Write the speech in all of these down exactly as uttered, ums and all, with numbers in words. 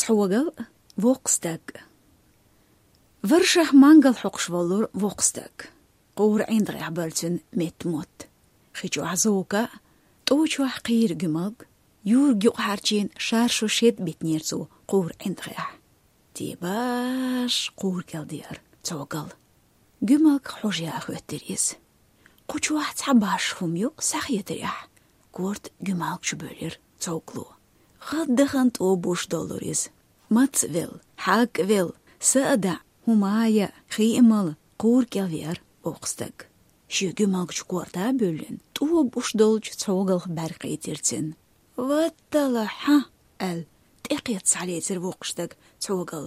Цхьогал, воккха стаг. Варшах мангал хьокхуш волура воккха стаг. Кхура ӀиндагӀехь бара цуьнан метта мотт. Хи чохь зока, тӀу чохь кхийра гуьмалг, юрг юкъахьарчийна шаршу шед битинера цо кхура ӀиндагӀехь. Тибаш кхура кӀел деара Цхьогал. Гуьмалг хьожа яха хӀоьттира иза. Кху чохь цхьа баш хӀума ю, схьахетарехь. Корта гуьмалг чу бевлира Цхьогало. ГӀаддахана тӀо буш доллура иза. Маца а велла, хьагга а велла, са а даӀа, хӀума а яа, хи а мала, кхура кӀел веара воккха стаг. Шен гуьмалг чу корта а бевллина, тӀо буш долчу Цхьогалх бӀаьрг кхийтира цуьнан. «Ваттала хьан!» — аьлла, тӀекхетта схьалецира воккха стаг Цхьогал.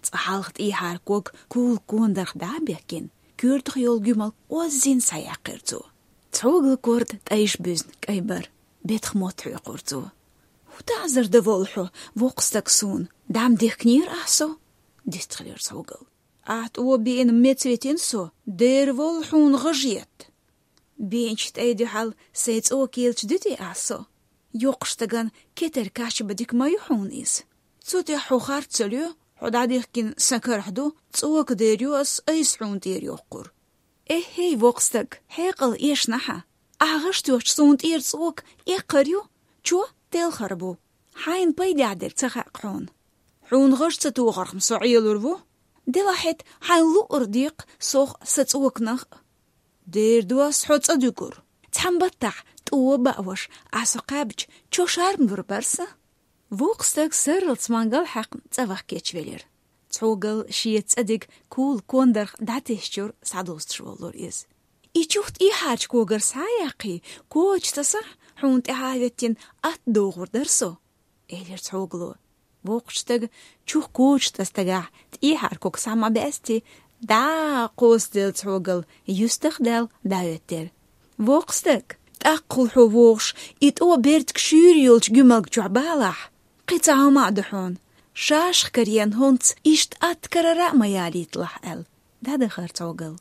Цкъа хьалха тӀехьара ког кула кондарх дӀа а бехкина, коьртах йолу гуьмалг оззина схьаяьккхира цо. Цхьогал корта тӀайша буьзна кӀай бара, бетах мотт хьоькхура цо. «ХӀун таӀзар дан волу хьо, воккха стаг, суна? ДӀа ма дихкинера ахь со?» — дистхилира Цхьогал. «Ахь тӀо биъна меца витина со, дера волу хьуна гӀажетта. Биъначу тӀай дуьхьал сайн цӀока елча дуьтий ахь со? Йоккхачу стагана кетар кхача бан дика ма ю хьуна иза. Цу тӀехь хьо харц ца лоь, хьо дӀадихкина сан карахь ду, цӀока дер ю ас айса хьуна тӀера йоккхур». «Эхь-хей, воккха стаг, хьекъал эшна хьан. Ахь гӀаш тоьхча суна тӀера цӀока эккхар ю, чо телхар бу. Хьайна пайдехь дерг ца хаьа хьуна. Хьуна гӀаш ца тохарх-м со Ӏелур ву. Делахь хӀета хьайна луъур декха сох а, сан цӀоканах а. Дера ду ас хьо цӀа дуьгур. Цхьана баттахь тӀо а бааваш, ахь со кхаьбча, чо шарм лур бара сан». Воккха стаг сарралц мангал хьаькхна цӀа ваха кечвелира. Цхьогал шен цӀа диг кула кондарх дӀатесчуьра схьадустуш воллура иза. «И чух тӀехьарчу когара схьа а яьккхий, коча тасахь, хьуна тӀаьхьа а хӀоьттина, атта дохур дара со», — элира Цхьогало. Воккхачу стага чух коча тасна тӀехьара ког схьа ма баьстий, дӀа а кхоссаделла Цхьогал юьстах а даьлла дӀахӀоьттира. «Воккха стаг, тӀаккха хьо вогӀуш, и тӀо бертиг шуьйра йолчу гуьмалг чохь балахь, кхин цхьа хӀума а ду хьуна. Шашах карийна хӀунца иштта атта карара а ма ялийталахь», — аьлла, дӀадахара Цхьогал.